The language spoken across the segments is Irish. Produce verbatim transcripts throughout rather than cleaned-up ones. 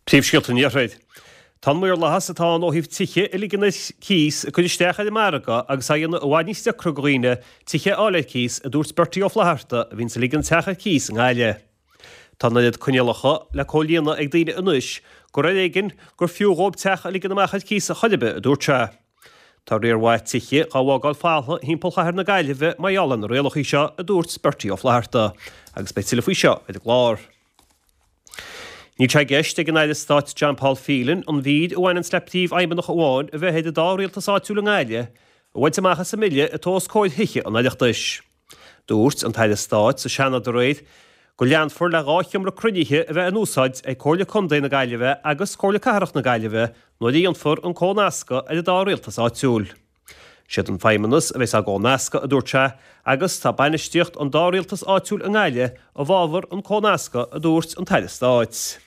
Príomhscéalta an Iarthair. Tá an maorlathas atá ann ó thaobh tithe a ligean ar cíos ag cur isteach ar an margadh agus á dhéanamh i bhfad níos deacra do dhaoine tithe a fháil ar cíos, a dúirt Bertie Ó Flatharta, a bhíonns ag ligean teach ar cíos i nGaillimh. Tá an oiread coinníollacha le comhlíonadh ag daoine anois gur ar éigean gur fiú dhóibh teach a ligean amach ar cíos a chor ar bith, a dúirt sé. Tá riar mhaith tithe dhá bhfágáil folamh thimpeall chathair na Gaillimhe mar gheall ar na rialacha seo, a dúirt Bertie Ó Flatharta, agus beidh tuilleadh faoi seo ar an gclár. Níl sé i gceist ag an Aire Stáit John Paul Phelan an mhír a bhaineanns le príomhfheidhmeannach amháin a bheith ar an dá rialtas áitiúil i nGaillimh a bhaint amach as an mbille atá os comhair Thithe an Oireachtais. Dúirt an tAire Stáit sa Seanad aréir go leanfar le dhá sheomra cruinnithe a bheith in úsáid ag Comhairle Contae na Gaillimhe agus Comhairle Cathrach na Gaillimhe nuair a dhéanfar an comhnascadh ar an dá rialtas áitiúil. Siad an Feidhmeannas a bheas á gcomhnascadh, a dúirt sé, agus tá bainistíocht an dá rialtas áitiúil i nGaillimh i bhfabhar an comhnascadh, a dúirt an tAire Stáit.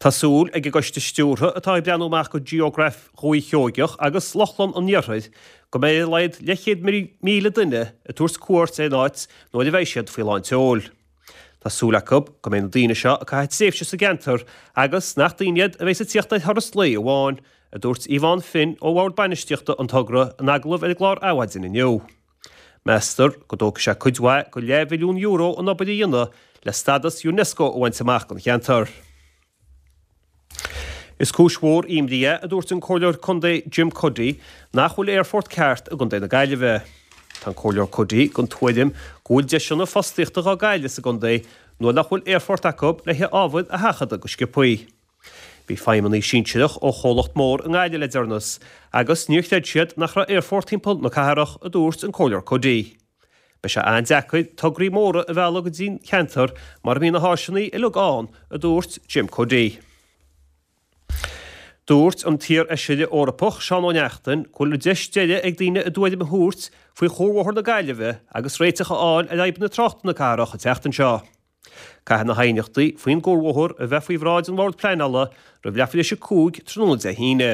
Tá súil ag an gcoiste stiúrtha atá ag breathnú amach go Geograph Dhúiche Sheoigeach agus Lochlann an Iarthair go mbeidh ar a laghad leathchéad míle duine ag tabhairt cuairt ar an áit nuair a bheidh siad faoi lán tseoil. Tá súil acu go mbeidh na daoine seo ag caitheamh tréimhse sa gceantar agus nach daoine iad a bheas ag tíocht ar thuras lae amháin, a dúirt Yvonne Finn ó Bhord Bainistíochta an togra in agallamh ar an gclár Adhmhaidin inniu. Meastar go dtógfaidh sé cuid mhaith go leathmhilliún euro an obair a dhéanamh le stádas Unesco a bhaint amach don cheantar. Is cúis mhór imní é, a dúirt an Comhairleoir Contae Jim Cuddy, nach bhfuil aerfort ceart i gContae na Gaillimhe. Tá an Comhairleoir Cuddy den tuairim go bhfuil deiseanna fostaíochta dhá gcailleadh sa gcontae nuair nach bhfuil aerfort acu le hábhair a sheachadadh go sciobthaí. Bhí feidhmeannaigh sinsearach ó chomhlacht mór i nGaillimh le deireanas agus níor chreid siad nach raibh aerfort timpeall na cathrach, a dúirt an Comhairleoir Cuddy. Beidh sé an-deacair tograí móra a mhealladh go dtí'n cheantar mura mbíonn na háiseanna uilig ann, a dúirt Jim Cuddy. Dúirt an t-iar-fheisire Eorpach Seán Ó Neachtain go bhfuil deis deiridh ag daoine a dtuairim a thabhairt faoi chuarbhóthar na Gaillimhe agus réiteach a fháil ar fhadhbanna tráchta na cathrach an tseachtain seo. Caithfidh na haighneachtaí faoin gcuarbhóthar a bheith faoi bhráid an Bhord Pleanála roimh leathuair tar éis a cúig tráthnóna Dé hAoine.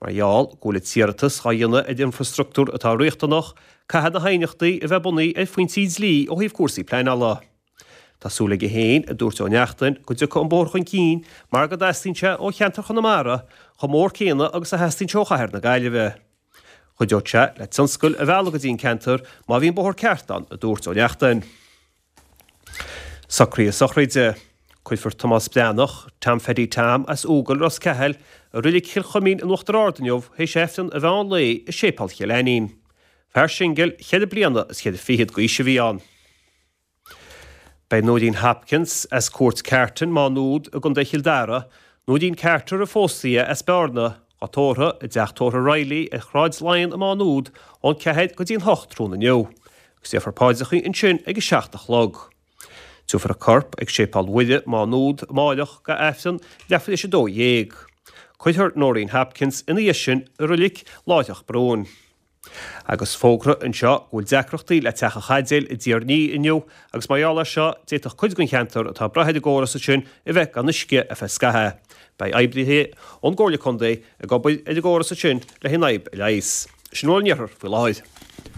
Mar gheall go bhfuil an t-iarratas dhá dhéanamh ar infrastruchtúr atá riachtanach, caithfidh na haighneachtaí a bheith bunaithe ar phointí dlí ó thaobh cúrsaí pleanála. Tá súil aige féin, a dúirt Ó Neachtain, go dtiocfaidh an bóthar chun cinn mar go dteastaíonn sé ó cheantar Chonamara chomh mór céanna agus a theastaíonn sé ó chathair na Gaillimhe. Chuideodh sé le tionscail a mhealladh go dtí an ceantar má bhíonn bóthar ceart ann, a dúirt Ó Neachtain. Socruithe sochraide. Cuirfear Tomás Breathnach, Tom Pheaidí Tom, as Úgall, Ros Ceathail, i Reilig Chill Chuimín in Uachtar Ard inniu théis Aifreann an mheán lae i Séipéal Chill Ainnín. Fear singil cheithre bliana is ceithre fichead d'aois a bhí ann. Beidh Nóirín Hopkins as Cúirt Carton, Má Nuad, i gContae Chill Dara, Nóirín Carter a phós í as Bearna, á tórramh i dteach tórraimh Reilly ar Shráid Laighean i Má Nuad ón ceathair go dtí an hocht tráthnóna inniu, agus déarfar paidreacha ansin ag a seacht a chlog. Tabharfar a corp ag Séipéal Mhuire, Má Nuad, amáireach go Aifreann leathuair tar éis a dó dhéag. Cuirfear Nóirín Hopkins ina dhiaidh sin i Reilig Láithreach Brúin. Agus fógra anseo go bhfuil deacrachtaí le Teach an Chaidéil i dTír an Fhia inniu agus mar gheall air seo d'fhéadfadh cuid den cheantar atá ag brath ar an gcóras ansin a bheith gan uisce ar feadh scaithimh. Beidh oibrithe ón gComhairle Contae ag obair ar an gcóras ansin le an fhadhb a leigheas. Sin a bhfuil ón iarthar faoi láthair.